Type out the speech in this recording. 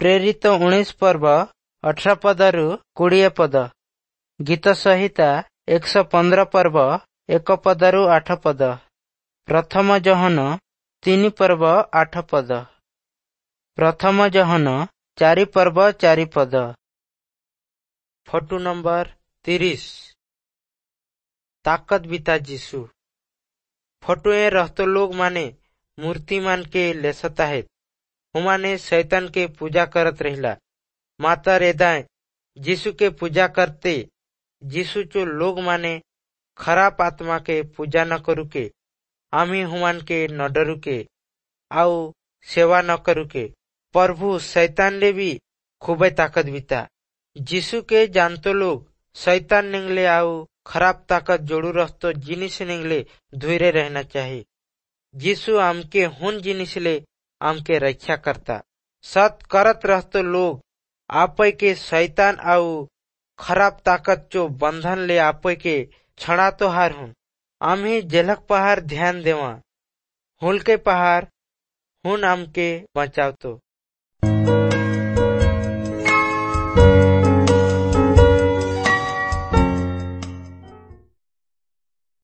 ପ୍ରେରିତ 19 ପର୍ବ 18 ପଦରୁ 20 ପଦ। ଗୀତ ସଂହିତା 115 ପର୍ବ 1 ପଦରୁ 8 ପଦ। ପ୍ରଥମ ଯୋହନ 3 ପର୍ବ 8 ପଦ। ପ୍ରଥମ ଯୋହନ 4 ପର୍ବ 4 ପଦ। ଫଟୋ ନମ୍ବର 30, ताकत बिता जीशु। फोटो ए रहतो लोग माने मूर्ति मान के लेसता है। हुमाने शैतान के पूजा करत रहिला। माता रेदाए जीशु के पूजा करते। जीशु चो लोग माने खराब आत्मा के पूजा न करू के, आमी हुमान के न डरू के आउ सेवा न करू के। प्रभु शैतान ले भी खूबे ताकत बिता। जीशु के जानतो लोग शैतान निंगले आउ खराब ताकत जोड़ू रहतो जिनिस निंगले धुरे रहना चाहिए। जीशु आमके हुन जिनिस ले आमके रक्षा करता। सत करत रहतो लोग आपे के शैतान आउ खराब ताकत चो बंधन ले आपे के छड़ा तो हार हुन। आम्ही जेलक पहाड़ ध्यान देवा हुल के पहाड़ हुन आमके बचावतो।